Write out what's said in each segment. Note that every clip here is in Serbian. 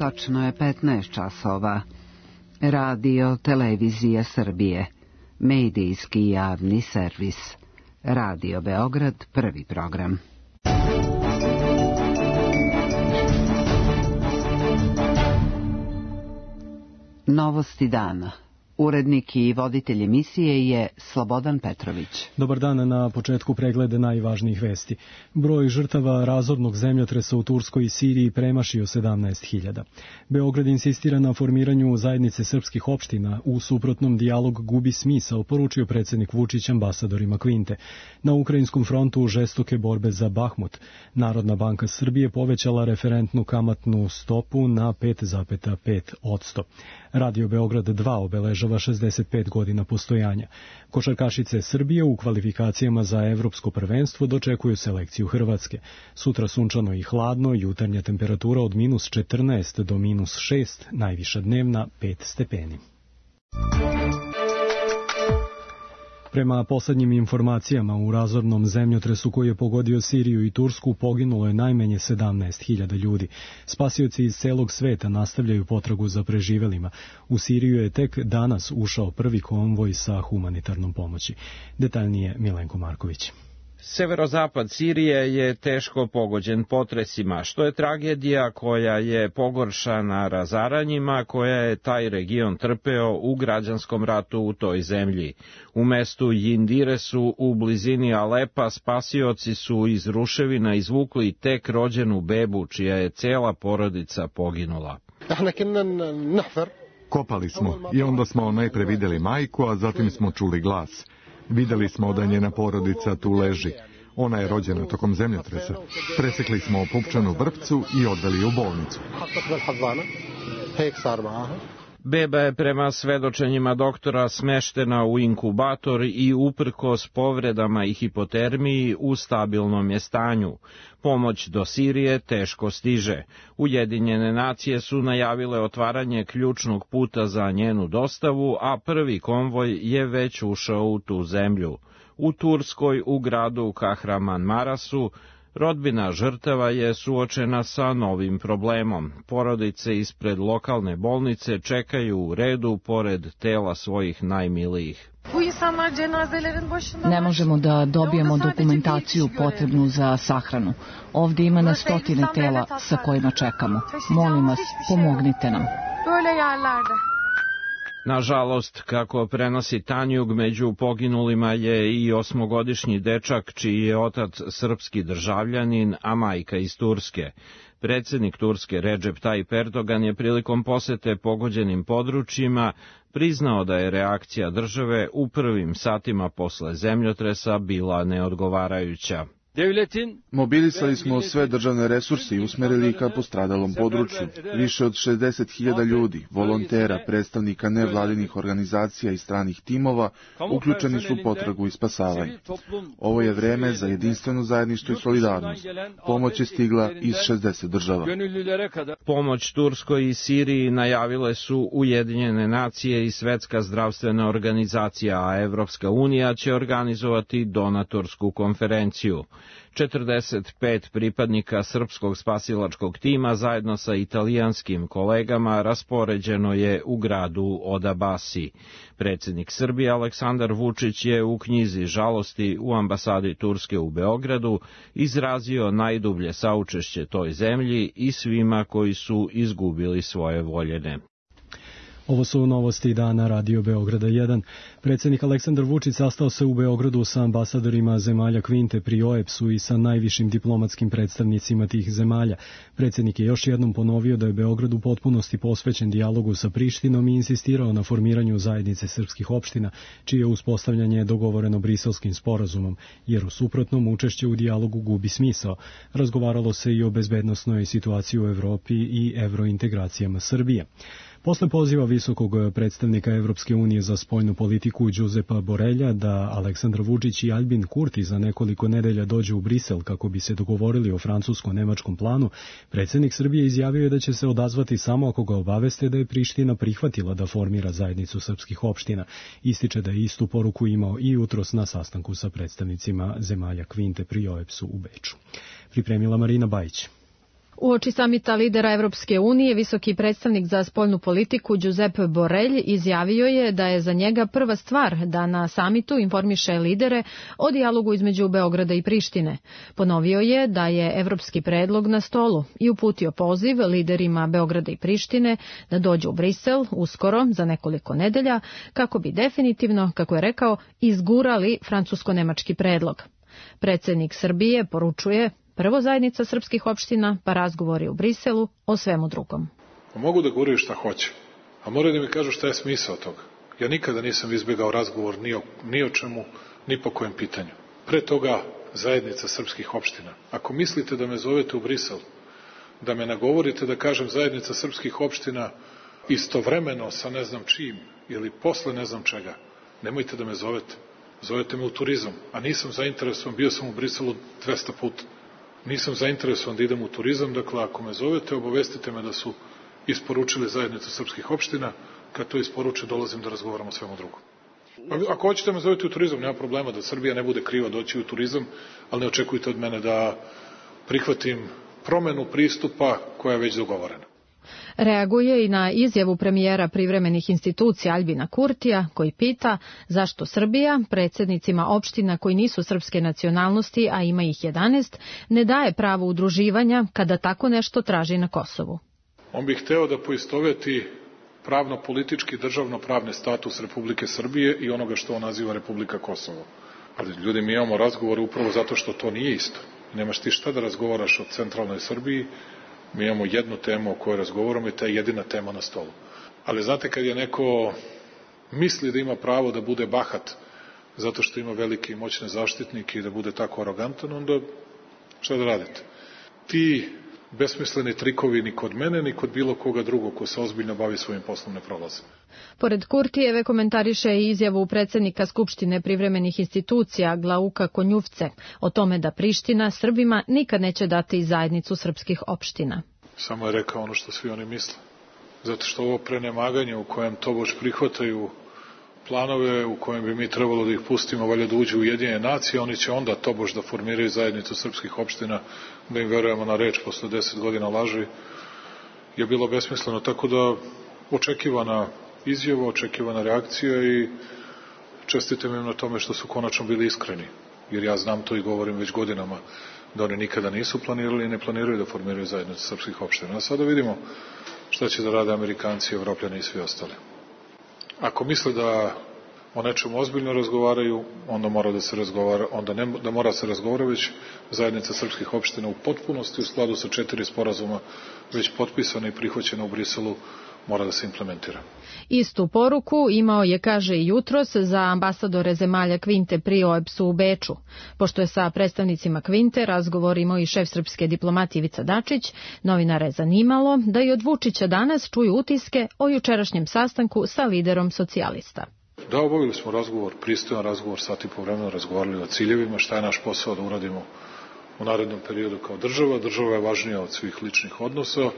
Tačno je 15 časova. Radio Televizija Srbije. Medijski javni servis. Radio Beograd, prvi program. Novosti dana. Urednik i voditelj emisije je Slobodan Petrović. Dobar dan, na početku preglede najvažnijih vesti. Broj žrtava razornog zemljotresa u Turskoj i Siriji premašio 17.000. Beograd insistira na formiranju zajednice srpskih opština, u suprotnom dijalog gubi smisao, poručio predsjednik Vučić ambasadorima Kvinte. Na ukrajinskom frontu žestoke borbe za Bahmut. Narodna banka Srbije povećala referentnu kamatnu stopu na 5,5%. Radio Beograd 2 obeležava 65 godina postojanja. Košarkašice Srbije u kvalifikacijama za evropsko prvenstvo dočekuju selekciju Hrvatske. Sutra sunčano i hladno, jutarnja temperatura od -14 do -6, najviša dnevna 5 stepeni. Prema poslednjim informacijama, u razornom zemljotresu koji je pogodio Siriju i Tursku poginulo je najmanje 17.000 ljudi. Spasioci iz celog sveta nastavljaju potragu za preživelima. U Siriju je tek danas ušao prvi konvoj sa humanitarnom pomoći. Detaljnije Milenko Marković. Severozapad Sirije je teško pogođen potresima, što je tragedija koja je pogoršana razaranjima koja je taj region trpeo u građanskom ratu u toj zemlji. U mestu Jindiresu u blizini Alepa spasioci su iz ruševina izvukli tek rođenu bebu čija je cela porodica poginula. Kopali smo i onda smo najpre videli majku, a zatim smo čuli glas. Videli smo da njena porodica tu leži. Ona je rođena tokom zemljotresa. Presekli smo pupčanu vrpcu i odveli u bolnicu. Beba je prema svedočenjima doktora smeštena u inkubator i uprkos povredama i hipotermiji u stabilnom je stanju. Pomoć do Sirije teško stiže. Ujedinjene nacije su najavile otvaranje ključnog puta za njenu dostavu, a prvi konvoj je već ušao u tu zemlju. U Turskoj, u gradu Kahramanmarasu, rodbina žrtava je suočena sa novim problemom. Porodice ispred lokalne bolnice čekaju u redu pored tela svojih najmilijih. Ne možemo da dobijemo dokumentaciju potrebnu za sahranu. Ovdje ima na stotine tela sa kojima čekamo. Molim vas, pomognite nam. Nažalost, kako prenosi Tanjug, među poginulima je i 8-godišnji dečak čiji je otac srpski državljanin, a majka iz Turske. Predsjednik Turske Recep Tayyip Erdogan je prilikom posete pogođenim područjima priznao da je reakcija države u prvim satima posle zemljotresa bila neodgovarajuća. Mobilisali smo sve državne resurse i usmerili ka postradalom području. Više od 60.000 ljudi, volontera, predstavnika nevladinih organizacija i stranih timova uključeni su u potragu i spasavanje. Ovo je vreme za jedinstveno zajedništvo i solidarnost. Pomoć je stigla iz 60 država. Pomoć Turskoj i Siriji najavile su Ujedinjene nacije i Svetska zdravstvena organizacija, a Evropska unija će organizovati donatorsku konferenciju. 45 pripadnika srpskog spasilačkog tima zajedno sa italijanskim kolegama raspoređeno je u gradu Odabasi. Predsjednik Srbije Aleksandar Vučić je u knjizi žalosti u ambasadi Turske u Beogradu izrazio najdublje saučešće toj zemlji i svima koji su izgubili svoje voljene. Ovo su novosti dana Radio Beograda 1. Predsjednik Aleksandar Vučić sastao se u Beogradu sa ambasadorima zemalja Kvinte pri OEBS-u i sa najvišim diplomatskim predstavnicima tih zemalja. Predsjednik je još jednom ponovio da je Beograd u potpunosti posvećen dijalogu sa Prištinom i insistirao na formiranju zajednice srpskih opština, čije uspostavljanje dogovoreno Briselskim sporazumom, jer u suprotnom učešće u dijalogu gubi smisao. Razgovaralo se i o bezbednosnoj situaciji u Evropi i evrointegracijama Srbije. Posle poziva visokog predstavnika Evropske unije za spoljnu politiku Đuzepa Borelja da Aleksandar Vučić i Albin Kurti za nekoliko nedelja dođu u Brisel kako bi se dogovorili o francusko-nemačkom planu, predsjednik Srbije izjavio je da će se odazvati samo ako ga obaveste da je Priština prihvatila da formira zajednicu srpskih opština. Ističe da je istu poruku imao i jutros na sastanku sa predstavnicima zemalja Kvinte pri OEBS-u u Beču. Pripremila Marina Bajić. Uoči samita lidera Evropske unije, visoki predstavnik za spoljnu politiku Giuseppe Borrell izjavio je da je za njega prva stvar da na samitu informiše lidere o dijalogu između Beograda i Prištine. Ponovio je da je evropski predlog na stolu i uputio poziv liderima Beograda i Prištine da dođu u Brisel uskoro za nekoliko nedelja kako bi definitivno, kako je rekao, izgurali francusko-nemački predlog. Predsjednik Srbije poručuje: prvo zajednica srpskih opština, pa razgovori u Briselu o svemu drugom. Mogu da guraju šta hoće, a moraju da mi kažu šta je smisao toga. Ja nikada nisam izbjegao razgovor ni o čemu, ni po kojem pitanju. Pre toga zajednica srpskih opština. Ako mislite da me zovete u Brisel, da me nagovorite da kažem zajednica srpskih opština istovremeno sa ne znam čim ili posle ne znam čega, nemojte da me zovete. Zovete me u turizam, a nisam zainteresovan, bio sam u Briselu 200 puta. Nisam zainteresovan da idem u turizam, dakle ako me zovete, obavestite me da su isporučili zajednicu srpskih opština, kad to isporuče dolazim da razgovaram o svemu drugom. Ako hoćete me zovete u turizam, nema problema, da Srbija ne bude kriva doći u turizam, ali ne očekujte od mene da prihvatim promenu pristupa koja je već dogovorena. Reaguje i na izjavu premijera privremenih institucija Aljbina Kurtija, koji pita zašto Srbija predsjednicima opština koji nisu srpske nacionalnosti, a ima ih 11, ne daje pravo udruživanja kada tako nešto traži na Kosovu. On bi hteo da poistoveti pravno-politički državno-pravni status Republike Srbije i onoga što on naziva Republika Kosovo. Ali ljudi, mi imamo razgovore upravo zato što to nije isto. Nemaš ti šta da razgovaraš o centralnoj Srbiji. Mi imamo jednu temu o kojoj razgovaramo i ta je jedina tema na stolu. Ali znate, kad je neko misli da ima pravo da bude bahat zato što ima velike i moćne zaštitnike i da bude tako arogantan, onda šta da radite? Ti besmisleni trikovi ni kod mene, ni kod bilo koga drugog ko se ozbiljno bavi svojim poslom ne prolaze. Pored Kurtijeve komentariše i izjavu predsjednika Skupštine privremenih institucija Glauka Konjuvce o tome da Priština Srbima nikad neće dati zajednicu srpskih opština. Samo je rekao ono što svi oni misle. Zato što ovo prenemaganje u kojem tobož prihvataju planove u kojem bi mi trebalo da ih pustimo, valjda da uđu u Ujedinjene nacije, oni će onda tobož da formiraju zajednicu srpskih opština, da im verujemo na reč posle 10 godina laži, je bilo besmisleno. Tako da očekivana izjava, očekivana reakcija i čestitam im na tome što su konačno bili iskreni. Jer ja znam to i govorim već godinama, da oni nikada nisu planirali i ne planiraju da formiraju zajednicu srpskih opština. A sada vidimo šta će da rade Amerikanci, Evropljani i svi ostali. Ako misle da o nečemu ozbiljno razgovaraju, onda mora da se razgovara, onda ne da mora se razgovara, već zajednica srpskih opština u potpunosti u skladu sa 4 sporazuma već potpisana i prihvaćena u Briselu mora da se implementira. Istu poruku imao je, kaže, i jutros za ambasadore zemalja Kvinte pri OEBS-u u Beču. Pošto je sa predstavnicima Kvinte razgovor imao i šef srpske diplomatije Ivica Dačić, novinare je zanimalo da i od Vučića danas čuju utiske o jučerašnjem sastanku sa liderom socijalista. Da, obavili smo razgovor, pristojan razgovor, sat i po vremena razgovarali o ciljevima, šta je naš posao da uradimo u narednom periodu kao država. Država je važnija od svih ličnih odnosa.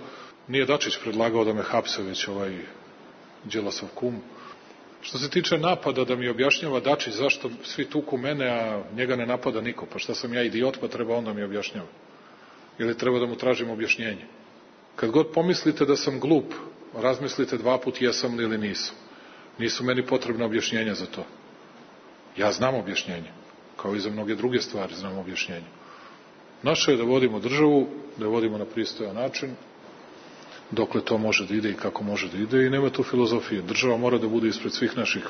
Nije Dačić predlagao da me hapse, već ovaj Đilasov kum. Što se tiče napada, da mi objašnjava Dačić zašto svi tuku mene, a njega ne napada niko. Pa šta sam ja idiot, pa treba onda mi objašnjava. Ili treba da mu tražim objašnjenje. Kad god pomislite da sam glup, razmislite 2 puta jesam li ili nisam. Nisu meni potrebna objašnjenja za to. Ja znam objašnjenje. Kao i za mnoge druge stvari znam objašnjenje. Naše je da vodimo državu, da je vodimo na pristojan način, dokle to može da ide i kako može da ide, i nema tu filozofije. Država mora da bude ispred svih naših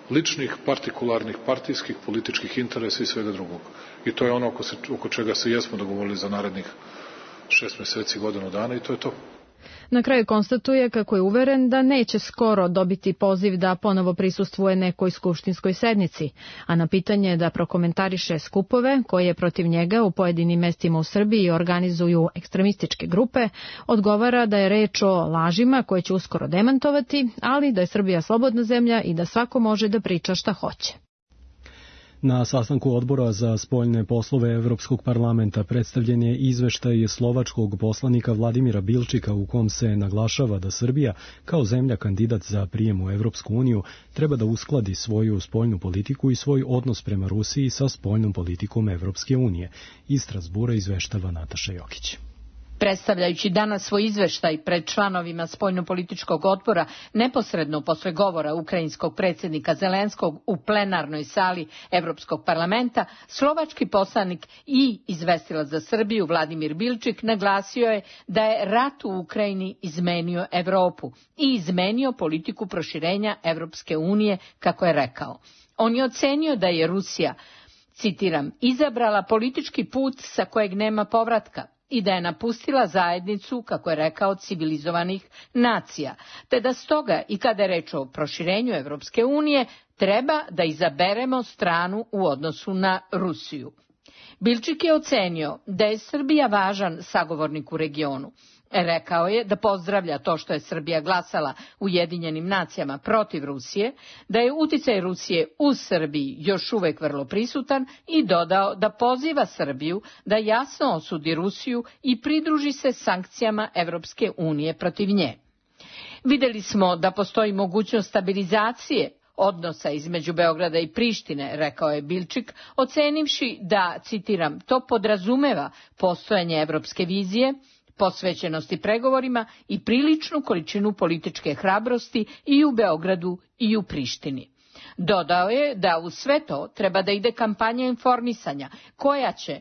ličnih, partikularnih, partijskih, političkih interesa i svega drugog. I to je ono oko čega se jesmo dogovorili za narednih 6 meseci, godinu dana, i to je to. Na kraju konstatuje kako je uveren da neće skoro dobiti poziv da ponovo prisustvuje nekoj skupštinskoj sednici, a na pitanje da prokomentariše skupove koje protiv njega u pojedinim mestima u Srbiji organizuju ekstremističke grupe, odgovara da je reč o lažima koje će uskoro demantovati, ali da je Srbija slobodna zemlja i da svako može da priča šta hoće. Na sastanku odbora za spoljne poslove Evropskog parlamenta predstavljen je izveštaj slovačkog poslanika Vladimira Bilčika u kom se naglašava da Srbija, kao zemlja kandidat za prijem u Evropsku uniju, treba da uskladi svoju spoljnu politiku i svoj odnos prema Rusiji sa spoljnom politikom Evropske unije. Iz Strasbura izveštava Nataša Jokić. Predstavljajući danas svoj izveštaj pred članovima spoljnopolitičkog odbora neposredno posle govora ukrajinskog predsjednika Zelenskog u plenarnoj sali Evropskog parlamenta, slovački poslanik i izvestilac za Srbiju Vladimir Bilčik naglasio je da je rat u Ukrajini izmenio Evropu i izmenio politiku proširenja Evropske unije, kako je rekao. On je ocenio da je Rusija, citiram, izabrala politički put sa kojeg nema povratka i da je napustila zajednicu, kako je rekao, civilizovanih nacija, te da stoga i kada je reč o proširenju Evropske unije treba da izaberemo stranu u odnosu na Rusiju. Bilčik je ocenio da je Srbija važan sagovornik u regionu. Rekao je da pozdravlja to što je Srbija glasala u Ujedinjenim nacijama protiv Rusije, da je uticaj Rusije u Srbiji još uvek vrlo prisutan i dodao da poziva Srbiju da jasno osudi Rusiju i pridruži se sankcijama Evropske unije protiv nje. Videli smo da postoji mogućnost stabilizacije odnosa između Beograda i Prištine, rekao je Bilčik, ocenivši da, citiram, to podrazumeva postojanje evropske vizije, posvećenosti pregovorima i priličnu količinu političke hrabrosti i u Beogradu i u Prištini. Dodao je da u sve to treba da ide kampanja informisanja koja će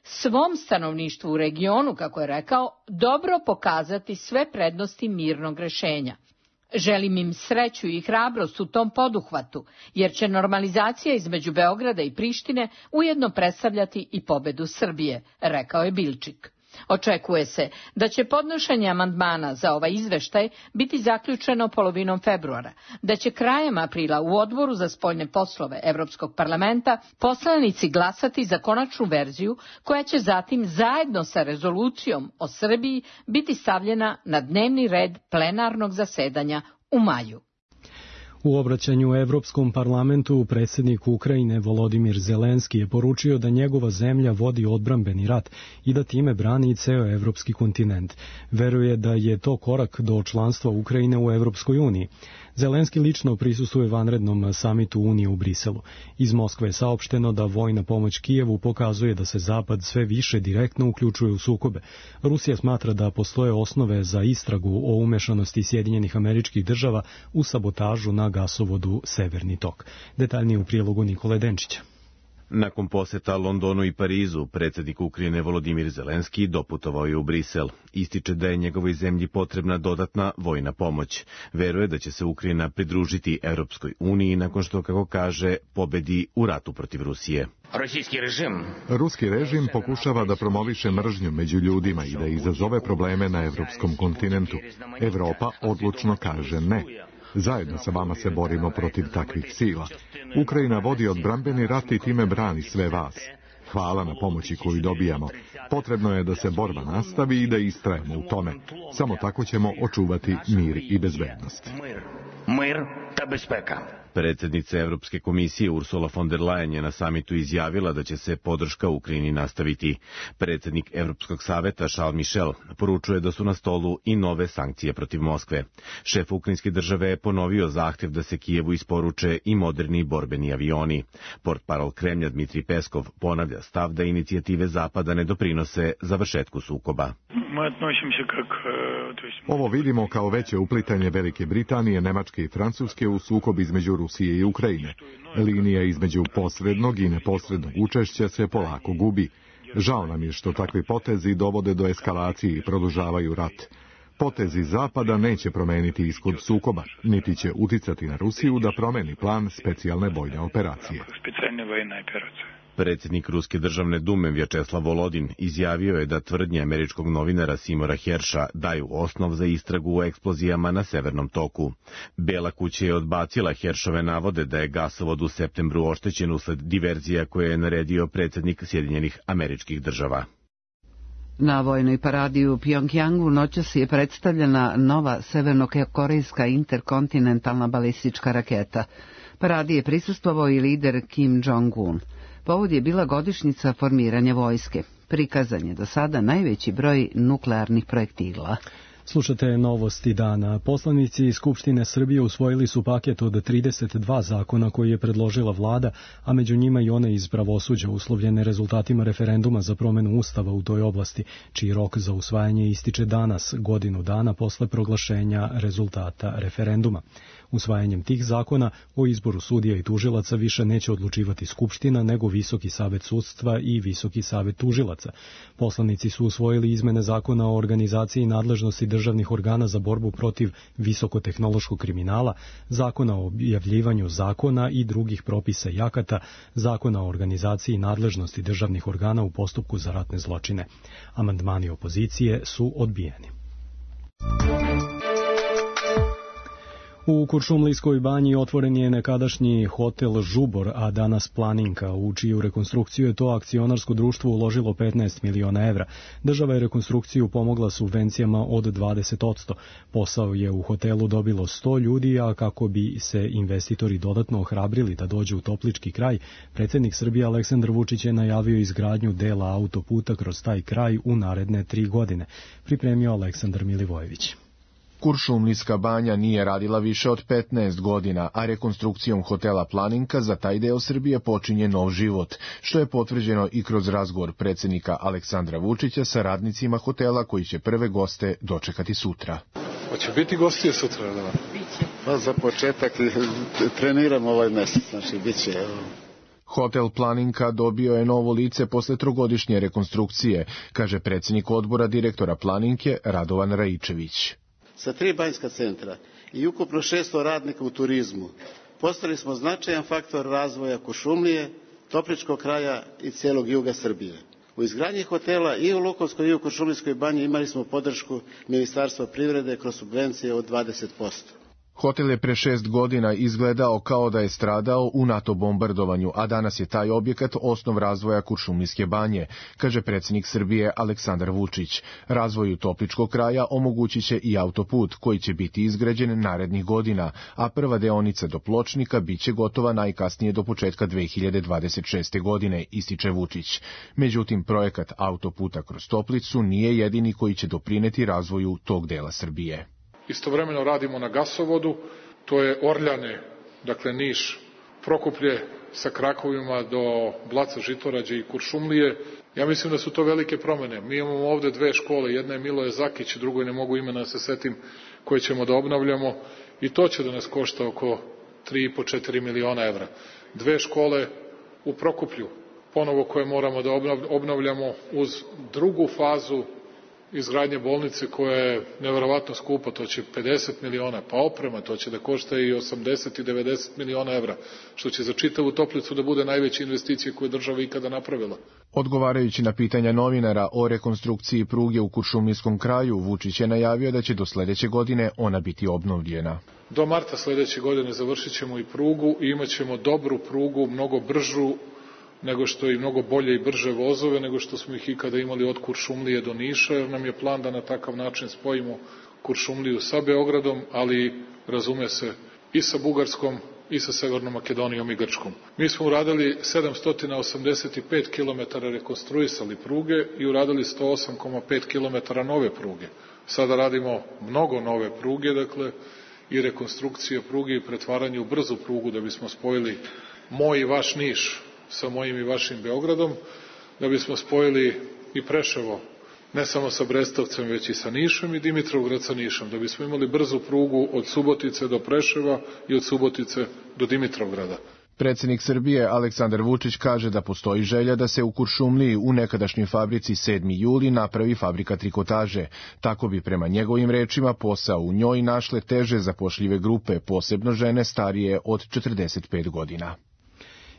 svom stanovništvu u regionu, kako je rekao, dobro pokazati sve prednosti mirnog rešenja. Želim im sreću i hrabrost u tom poduhvatu, jer će normalizacija između Beograda i Prištine ujedno predstavljati i pobedu Srbije, rekao je Bilčik. Očekuje se da će podnošenje amandmana za ovaj izveštaj biti zaključeno polovinom februara, da će krajem aprila u odboru za spoljne poslove Evropskog parlamenta poslanici glasati za konačnu verziju koja će zatim zajedno sa rezolucijom o Srbiji biti stavljena na dnevni red plenarnog zasedanja u maju. U obraćanju Evropskom parlamentu predsjednik Ukrajine Volodimir Zelenski je poručio da njegova zemlja vodi odbrambeni rat i da time brani ceo evropski kontinent. Veruje da je to korak do članstva Ukrajine u Evropskoj uniji. Zelenski lično prisustvuje vanrednom samitu Unije u Briselu. Iz Moskve je saopšteno da vojna pomoć Kijevu pokazuje da se Zapad sve više direktno uključuje u sukobe. Rusija smatra da postoje osnove za istragu o umešanosti Sjedinjenih Američkih Država u sabotažu na gasovodu Severni tok. Detaljnije u prilogu Nikole Denčića. Nakon poseta Londonu i Parizu, predsjednik Ukrajine Volodimir Zelenski doputovao je u Brisel. Ističe da je njegovoj zemlji potrebna dodatna vojna pomoć. Veruje da će se Ukrajina pridružiti Europskoj uniji nakon što, kako kaže, pobedi u ratu protiv Rusije. Ruski režim pokušava da promoviše mržnju među ljudima i da izazove probleme na evropskom kontinentu. Evropa odlučno kaže ne. Zajedno sa vama se borimo protiv takvih sila. Ukrajina vodi odbrambeni rat i time brani sve vas. Hvala na pomoći koju dobijamo. Potrebno je da se borba nastavi i da istrajemo u tome. Samo tako ćemo očuvati mir i bezbednost. Predsjednica Evropske komisije Ursula von der Leyen je na samitu izjavila da će se podrška Ukrajini nastaviti. Predsjednik Evropskog saveta Charles Michel poručuje da su na stolu i nove sankcije protiv Moskve. Šef ukrajinske države je ponovio zahtjev da se Kijevu isporuče i moderni borbeni avioni. Portparol Kremlja Dmitrij Peskov ponavlja stav da inicijative Zapada ne doprinose završetku sukoba. Ovo vidimo kao veće uplitanje Velike Britanije, Nemačke i Francuske u sukob između Rusije i Ukrajine. Linija između posrednog i neposrednog učešća se polako gubi. Žao nam je što takvi potezi dovode do eskalacije i produžavaju rat. Potezi Zapada neće promeniti ishod sukoba, niti će uticati na Rusiju da promeni plan specijalne vojne operacije. Predsjednik Ruske državne dume Vjačeslav Volodin izjavio je da tvrdnje američkog novinara Simora Herša daju osnov za istragu o eksplozijama na Severnom toku. Bela kuća je odbacila Heršove navode da je gasovod u septembru oštećen usled diverzija koje je naredio predsjednik Sjedinjenih Američkih Država. Na vojnoj paradi u Pjongjangu noćas je predstavljena nova severnokorejska interkontinentalna balistička raketa. Paradi je prisustvovao i lider Kim Jong-un. Povod je bila godišnjica formiranja vojske. Prikazan je do sada najveći broj nuklearnih projektila. Slušate novosti dana. Poslanici Skupštine Srbije usvojili su paket od 32 zakona koji je predložila vlada, a među njima i one iz pravosuđa uslovljene rezultatima referenduma za promenu ustava u toj oblasti, čiji rok za usvajanje ističe danas, godinu dana posle proglašenja rezultata referenduma. Usvajanjem tih zakona o izboru sudija i tužilaca više neće odlučivati Skupština, nego Visoki savet sudstva i Visoki savet tužilaca. Poslanici su usvojili izmene zakona o organizaciji nadležnosti državnih organa za borbu protiv visokotehnološkog kriminala, zakona o objavljivanju zakona i drugih propisa i akata, zakona o organizaciji nadležnosti državnih organa u postupku za ratne zločine. Amandmani opozicije su odbijeni. U Kuršumlijskoj banji otvoren je nekadašnji hotel Žubor, a danas Planinka, u čiju rekonstrukciju je to akcionarsko društvo uložilo 15 miliona evra. Država je rekonstrukciju pomogla subvencijama od 20%. Posao je u hotelu dobilo 100 ljudi, a kako bi se investitori dodatno ohrabrili da dođu u Toplički kraj, predsjednik Srbije Aleksandar Vučić je najavio izgradnju dela autoputa kroz taj kraj u naredne 3 godine. Pripremio Aleksandar Milivojević. Kuršumlijska banja nije radila više od 15 godina, a rekonstrukcijom hotela Planinka za taj deo Srbije počinje nov život, što je potvrđeno i kroz razgovor predsjednika Aleksandra Vučića sa radnicima hotela koji će prve goste dočekati sutra. Hoće biti gostije sutra, da? Biće. Pa za početak treniram ovaj mesec, znači biće. Hotel Planinka dobio je novo lice posle 3-godišnje rekonstrukcije, kaže predsjednik odbora direktora Planinke Radovan Raičević. Sa 3 banjska centra i ukupno 600 radnika u turizmu postali smo značajan faktor razvoja Kuršumlije, Topličkog kraja i cijelog juga Srbije. U izgradnji hotela i u Lukovskoj i u Kuršumlijskoj banji imali smo podršku Ministarstva privrede kroz subvencije od 20%. Hotel je pre 6 godina izgledao kao da je stradao u NATO bombardovanju, a danas je taj objekat osnov razvoja Kuršumlijske banje, kaže predsjednik Srbije Aleksandar Vučić. Razvoju Topličkog kraja omogućit će i autoput koji će biti izgrađen narednih godina, a prva deonica do Pločnika biće gotova najkasnije do početka 2026. godine, ističe Vučić. Međutim, projekat autoputa kroz Toplicu nije jedini koji će doprineti razvoju tog dela Srbije. Istovremeno radimo na gasovodu, to je Orljane, dakle Niš, Prokuplje sa krakovima do Blaca, Žitorađe i Kuršumlije. Ja mislim da su to velike promjene. Mi imamo ovde 2 škole, jedna je Miloje Zakić, drugoj ne mogu imena da se setim, koje ćemo da obnavljamo i to će da nas košta oko 3,5-4 miliona evra. 2 škole u Prokuplju, ponovo koje moramo da obnavljamo uz drugu fazu izgradnje bolnice koja je neverovatno skupa, to će 50 miliona, pa oprema, to će da košta i 80 i 90 miliona evra, što će za čitavu Toplicu da bude najveća investicija koju je država ikada napravila. Odgovarajući na pitanja novinara o rekonstrukciji pruge u Kuršumlijskom kraju, Vučić je najavio da će do sledeće godine ona biti obnovljena. Do marta sledeće godine završit ćemo i prugu i imat ćemo dobru prugu, mnogo bržu nego što i mnogo bolje i brže vozove, nego što smo ih ikada imali od Kuršumlije do Niša, jer nam je plan da na takav način spojimo Kuršumliju sa Beogradom, ali razume se i sa Bugarskom i sa Severnom Makedonijom i Grčkom. Mi smo uradili 785 km rekonstruisali pruge i uradili 108,5 km nove pruge. Sada radimo mnogo nove pruge, dakle, i rekonstrukcije pruge i pretvaranje u brzu prugu da bismo spojili moj i vaš Niš sa mojim i vašim Beogradom, da bismo spojili i Preševo, ne samo sa Brestovcem, već i sa Nišom i Dimitrovgrad sa Nišom, da bismo imali brzu prugu od Subotice do Preševa i od Subotice do Dimitrovgrada. Predsjednik Srbije Aleksandar Vučić kaže da postoji želja da se u Kuršumliji u nekadašnjoj fabrici 7. juli napravi fabrika trikotaže. Tako bi prema njegovim rečima posao u njoj našle teže zapošljive grupe, posebno žene starije od 45 godina.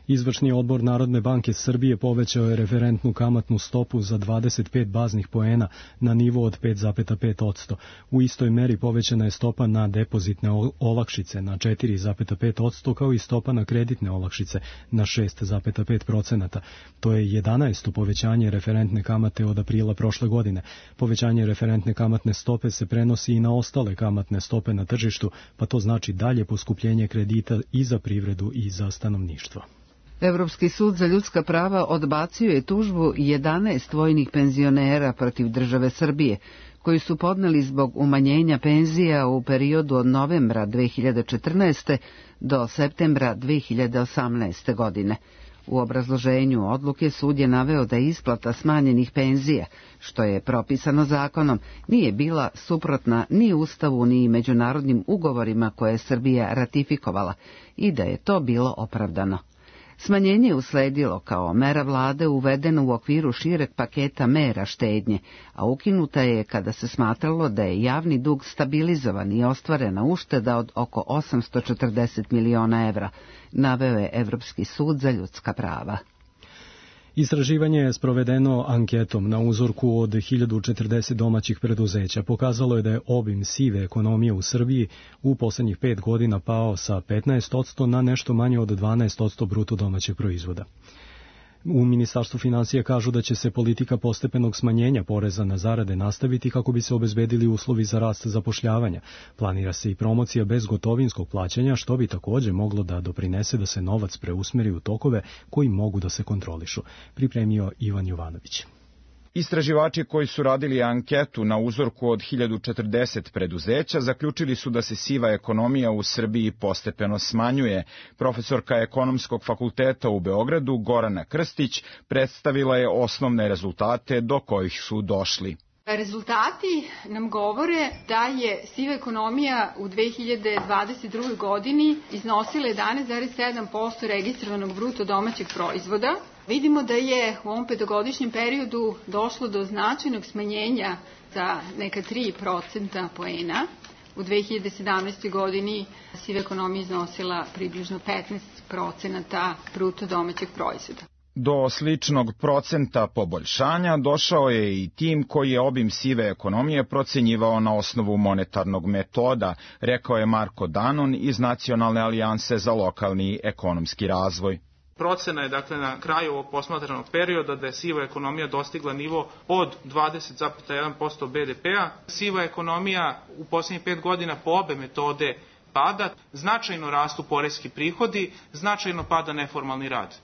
Izvršni odbor Narodne banke Srbije povećao je referentnu kamatnu stopu za 25 baznih poena na nivo od 5,5%. U istoj meri povećana je stopa na depozitne olakšice na 4,5%, kao i stopa na kreditne olakšice na 6,5%. To je 11. povećanje referentne kamate od aprila prošle godine. Povećanje referentne kamatne stope se prenosi i na ostale kamatne stope na tržištu, pa to znači dalje poskupljenje kredita i za privredu i za stanovništvo. Evropski sud za ljudska prava odbacio je tužbu 11 vojnih penzionera protiv države Srbije, koji su podneli zbog umanjenja penzija u periodu od novembra 2014. do septembra 2018. godine. U obrazloženju odluke sud je naveo da isplata smanjenih penzija, što je propisano zakonom, nije bila suprotna ni Ustavu ni međunarodnim ugovorima koje je Srbija ratifikovala i da je to bilo opravdano. Smanjenje je usledilo kao mera vlade uvedena u okviru šireg paketa mera štednje, a ukinuta je kada se smatralo da je javni dug stabilizovan i ostvarena ušteda od oko 840 miliona evra, naveo je Evropski sud za ljudska prava. Istraživanje je sprovedeno anketom na uzorku od 1040 domaćih preduzeća. Pokazalo je da je obim sive ekonomije u Srbiji u poslednjih 5 godina pao sa 15% na nešto manje od 12% bruto domaćeg proizvoda. U Ministarstvu finansija kažu da će se politika postepenog smanjenja poreza na zarade nastaviti kako bi se obezbedili uslovi za rast zapošljavanja. Planira se i promocija bezgotovinskog plaćanja, što bi takođe moglo da doprinese da se novac preusmeri u tokove koji mogu da se kontrolišu. Pripremio Ivan Jovanović. Istraživači koji su radili anketu na uzorku od 1040 preduzeća zaključili su da se siva ekonomija u Srbiji postepeno smanjuje. Profesorka Ekonomskog fakulteta u Beogradu Gorana Krstić predstavila je osnovne rezultate do kojih su došli. Rezultati nam govore da je siva ekonomija u 2022. godini iznosila 11,7% registrovanog bruto domaćeg proizvoda. Vidimo da je u ovom petogodišnjem periodu došlo do značajnog smanjenja za neka 3% poena. U 2017. godini siva ekonomija iznosila približno 15% bruto domaćeg proizvoda. Do sličnog procenta poboljšanja došao je i tim koji je obim sive ekonomije procenjivao na osnovu monetarnog metoda, rekao je Marko Danon iz Nacionalne alijanse za lokalni ekonomski razvoj. Procena je dakle na kraju ovog posmatranog perioda da je siva ekonomija dostigla nivo od 20,1% BDP-a. Siva ekonomija u posljednjih 5 godina po obe metode pada, značajno rastu poreski prihodi, značajno pada neformalni rad.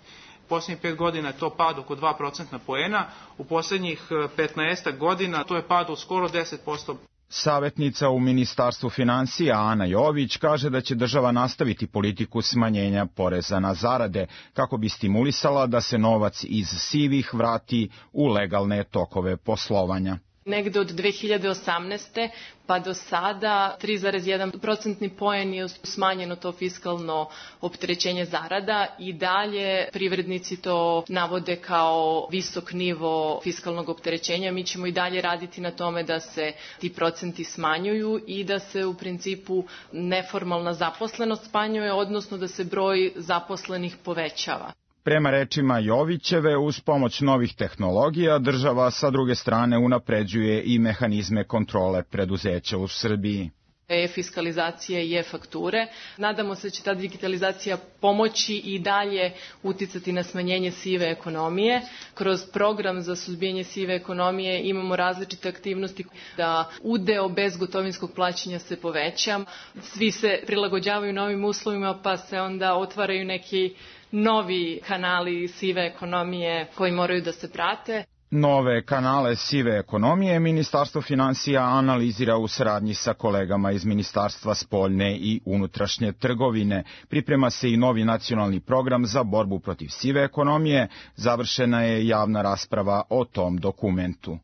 U posljednjih 5 godina je to pad oko 2% poena, u posljednjih 15 godina to je pad od skoro 10%. Savetnica u Ministarstvu finansija Ana Jović kaže da će država nastaviti politiku smanjenja poreza na zarade kako bi stimulisala da se novac iz sivih vrati u legalne tokove poslovanja. Negde od 2018. pa do sada 3,1% poen je smanjeno to fiskalno opterećenje zarada i dalje privrednici to navode kao visok nivo fiskalnog opterećenja. Mi ćemo i dalje raditi na tome da se ti procenti smanjuju i da se u principu neformalna zaposlenost smanjuje, odnosno da se broj zaposlenih povećava. Prema rečima Jovićeve, uz pomoć novih tehnologija, država sa druge strane unapređuje i mehanizme kontrole preduzeća u Srbiji. E-fiskalizacije i e-fakture. Nadamo se da će ta digitalizacija pomoći i dalje uticati na smanjenje sive ekonomije. Kroz program za suzbijanje sive ekonomije imamo različite aktivnosti da udeo bezgotovinskog plaćanja se poveća. Svi se prilagođavaju novim uslovima pa se onda otvaraju neki novi kanali sive ekonomije koji moraju da se prate. Nove kanale sive ekonomije Ministarstvo finansija analizira u saradnji sa kolegama iz Ministarstva spoljne i unutrašnje trgovine. Priprema se i novi nacionalni program za borbu protiv sive ekonomije. Završena je javna rasprava o tom dokumentu.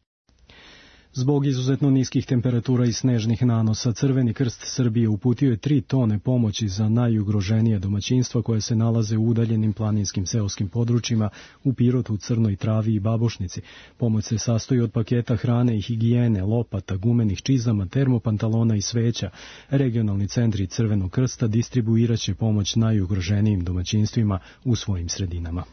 Zbog izuzetno niskih temperatura i snežnih nanosa, Crveni krst Srbije uputio je 3 tone pomoći za najugroženije domaćinstva koje se nalaze u udaljenim planinskim seoskim područjima u Pirotu, Crnoj Travi i Babušnici. Pomoć se sastoji od paketa hrane i higijene, lopata, gumenih čizama, termopantalona i sveća. Regionalni centri Crvenog krsta distribuiraće pomoć najugroženijim domaćinstvima u svojim sredinama.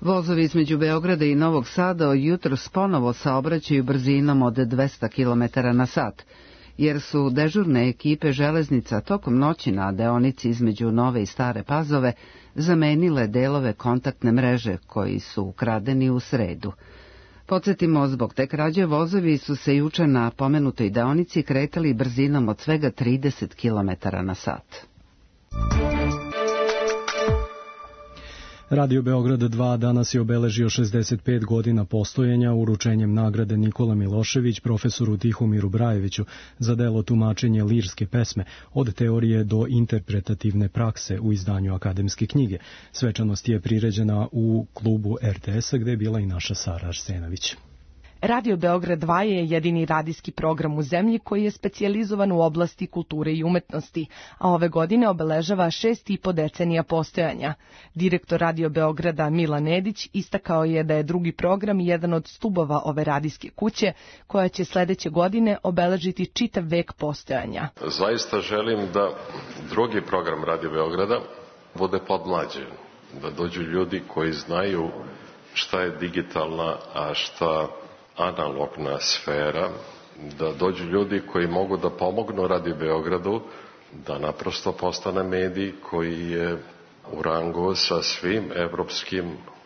Vozovi između Beograda i Novog Sada jutros ponovo saobraćaju brzinom od 200 km na sat, jer su dežurne ekipe železnica tokom noći na deonici između Nove i Stare Pazove zamenile delove kontaktne mreže koji su ukradeni u sredu. Podsjetimo, zbog te krađe vozovi su se juče na pomenutoj deonici kretali brzinom od svega 30 km na sat. Radio Beograd 2 danas je obeležio 65 godina postojanja uručenjem nagrade Nikola Milošević profesoru Tihomiru Brajeviću za delo tumačenje lirske pesme od teorije do interpretativne prakse u izdanju akademske knjige. Svečanost je priređena u klubu RTS-a gde je bila i naša Sara Arsenović. Radio Beograd 2 je jedini radijski program u zemlji koji je specijalizovan u oblasti kulture i umetnosti, a ove godine obeležava 6,5 decenija postojanja. Direktor Radio Beograda Milan Nedić istakao je da je drugi program jedan od stubova ove radijske kuće, koja će sledeće godine obeležiti čitav vek postojanja. Zaista želim da drugi program Radio Beograda bude podmlađen, da dođu ljudi koji znaju šta je digitalna, a šta analogna sfera, da dođu ljudi koji mogu da pomognu Radio Beogradu da naprosto postane medij koji je u rangu sa svim evropskim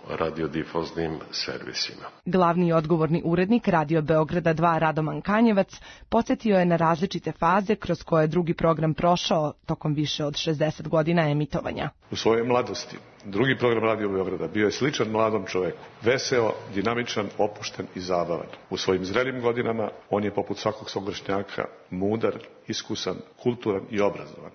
radiodifuznim servisima. Glavni i odgovorni urednik Radio Beograda 2 Radoman Kanjevac podsjetio je na različite faze kroz koje drugi program prošao tokom više od 60 godina emitovanja. U svojoj mladosti drugi program Radio Beograda bio je sličan mladom čoveku, veseo, dinamičan, opušten i zabavan. U svojim zrelim godinama on je poput svakog svog vršnjaka mudar, iskusan, kulturan i obrazovan.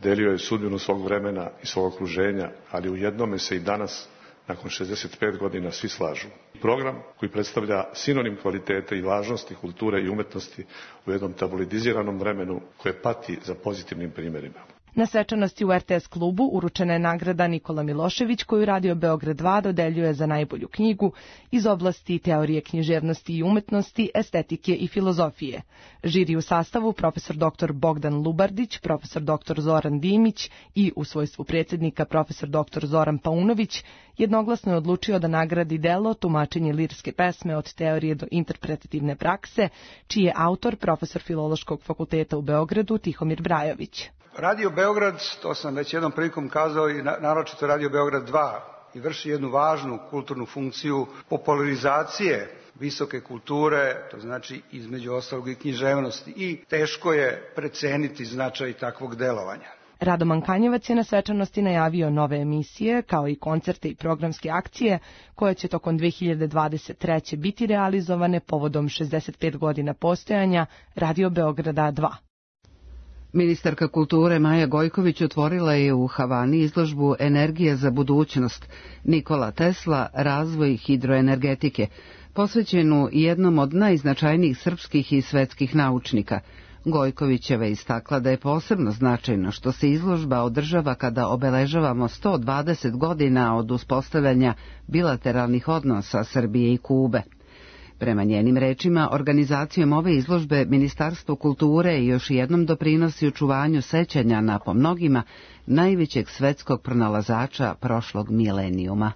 Delio je sudbinu svog vremena i svog okruženja, ali u jednome se i danas nakon 65 godina svi slažu. Program koji predstavlja sinonim kvalitete i važnosti kulture i umetnosti u jednom tabloidiziranom vremenu koje pati za pozitivnim primjerima. Na svečanosti u RTS klubu uručena je nagrada Nikola Milošević koju Radio Beograd 2 dodeljuje za najbolju knjigu iz oblasti teorije književnosti i umetnosti, estetike i filozofije. Žiri u sastavu profesor dr. Bogdan Lubardić, profesor dr. Zoran Dimić i u svojstvu predsjednika profesor dr. Zoran Paunović jednoglasno je odlučio da nagradi delo tumačenje lirske pesme od teorije do interpretativne prakse, čiji je autor profesor Filološkog fakulteta u Beogradu Tihomir Brajović. Radio Beograd, to sam već jednom prilikom kazao, i naročito Radio Beograd 2, i vrši jednu važnu kulturnu funkciju popularizacije visoke kulture, to znači između ostalog i književnosti, i teško je preceniti značaj takvog delovanja. Radoman Kanjevac je na svečanosti najavio nove emisije, kao i koncerte i programske akcije, koje će tokom 2023. biti realizovane povodom 65 godina postojanja Radio Beograda 2. Ministarka kulture Maja Gojković otvorila je u Havani izložbu Energija za budućnost Nikola Tesla, razvoj hidroenergetike, posvećenu jednom od najznačajnijih srpskih i svetskih naučnika. Gojkovićeva je istakla da je posebno značajno što se izložba održava kada obeležavamo 120 godina od uspostavljanja bilateralnih odnosa Srbije i Kube. Prema njenim rečima, organizacijom ove izložbe Ministarstvo kulture još jednom doprinosi očuvanju sećanja na po mnogima najvećeg svetskog pronalazača prošlog milenijuma.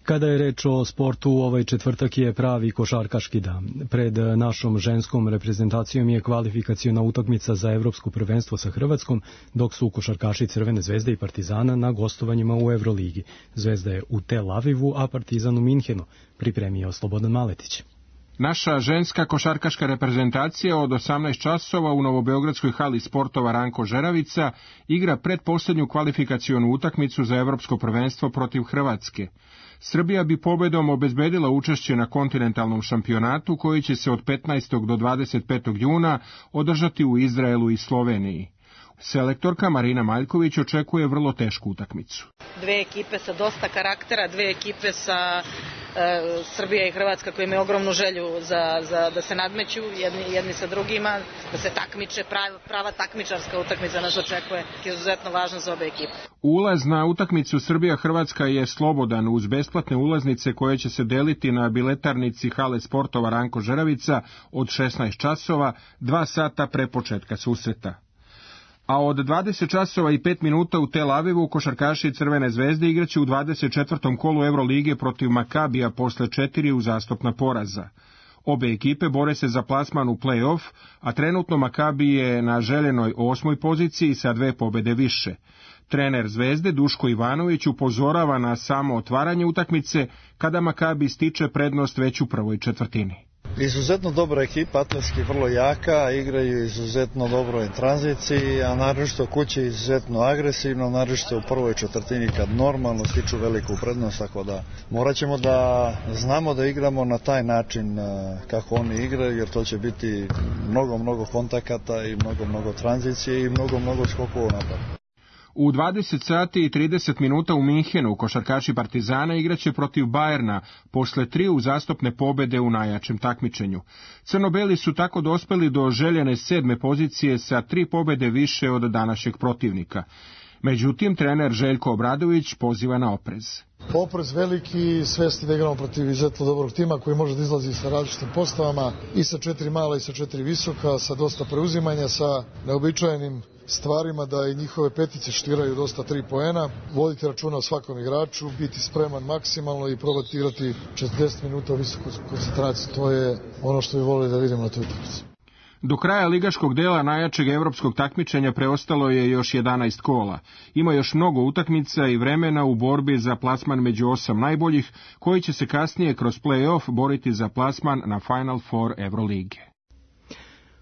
Kada je reč o sportu, ovaj četvrtak je pravi košarkaški dan. Pred našom ženskom reprezentacijom je kvalifikaciona utakmica za evropsko prvenstvo sa Hrvatskom, dok su košarkaši Crvene zvezde i Partizana na gostovanjima u Evroligi. Zvezda je u Tel Avivu, a Partizan u Minhenu, pripremio Slobodan Maletić. Naša ženska košarkaška reprezentacija od 18 časova u novobeogradskoj hali sportova Ranko Žeravica igra predposlednju kvalifikacionu utakmicu za evropsko prvenstvo protiv Hrvatske. Srbija bi pobedom obezbedila učešće na kontinentalnom šampionatu koji će se od 15. do 25. juna održati u Izraelu i Sloveniji. Selektorka Marina Maljković očekuje vrlo tešku utakmicu. Dve ekipe sa dosta karaktera, dve ekipe sa Srbija i Hrvatska koji imaju ogromnu želju da se nadmeću jedni sa drugima, da se takmiče, prava takmičarska utakmica nas očekuje, je izuzetno važna za obe ekipe. Ulaz na utakmicu Srbija-Hrvatska je slobodan uz besplatne ulaznice koje će se deliti na biletarnici hale sportova Ranko Žeravica od 16 časova, 2 sata pre početka susreta. A od 20 časova i 5 minuta u Tel Avivu košarkaši Crvene zvezde igraće u 24. kolu Evrolige protiv Makabija posle 4 uzastopna poraza. Obe ekipe bore se za plasman u play-off, a trenutno Makabi je na željenoj 8. poziciji sa 2 pobede više. Trener Zvezde Duško Ivanović upozorava na samo otvaranje utakmice kada Makabi stiče prednost već u prvoj četvrtini. Izuzetno dobra ekipa, atletski vrlo jaka, igraju izuzetno dobro u tranziciji, a naročito kuće izuzetno agresivno, naročito u prvoj četvrtini kad normalno stiču veliku prednost, tako da morat ćemo da znamo da igramo na taj način kako oni igraju, jer to će biti mnogo kontakata i mnogo tranzicije i mnogo skokova u napadu. U 20 sati i 30 minuta u Minhenu košarkaši Partizana igraće protiv Bajerna posle 3 uzastopne pobede u najjačem takmičenju. Crno-beli su tako dospeli do željene 7. pozicije sa 3 pobede više od današnjeg protivnika. Međutim, trener Željko Obradović poziva na oprez. Oprez veliki, svesti da igramo protiv izuzetno dobrog tima koji može da izlazi sa različitim postavama, i sa 4 mala i sa 4 visoka, sa dosta preuzimanja, sa neobičajenim stvarima da i njihove petice štiraju dosta 3 poena, voditi računa o svakom igraču, biti spreman maksimalno i probati igrati 40 minuta u visoku koncentraciju. To je ono što bi volili da vidimo na toj utakmici. Do kraja ligaškog dela najjačeg evropskog takmičenja preostalo je još 11 kola. Ima još mnogo utakmica i vremena u borbi za plasman među 8 najboljih, koji će se kasnije kroz play-off boriti za plasman na Final Four Evrolige.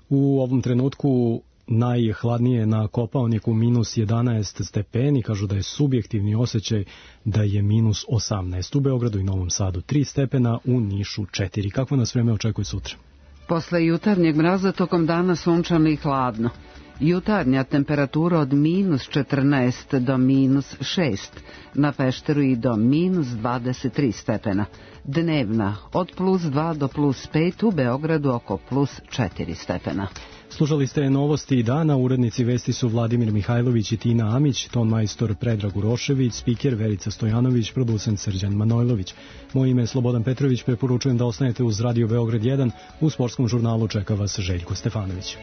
U ovom trenutku najhladnije na Kopaoniku minus 11 stepeni, kažu da je subjektivni osjećaj da je minus 18. U Beogradu i Novom Sadu 3 stepena, u Nišu 4. Kako nas vreme očekuje sutra? Posle jutarnjeg mraza tokom dana sunčano i hladno. Jutarnja temperatura od minus 14 do minus 6, na Pešteru i do minus 23 stepena. Dnevna od plus 2 do plus 5, u Beogradu oko plus 4 stepena. Slušali ste novosti dana, urednici vesti su Vladimir Mihajlović i Tina Amić, ton majstor Predrag Urošević, spiker Verica Stojanović, producent Srđan Manojlović. Moje ime je Slobodan Petrović, preporučujem da ostanete uz Radio Beograd 1, u sportskom žurnalu čeka vas Željko Stefanović.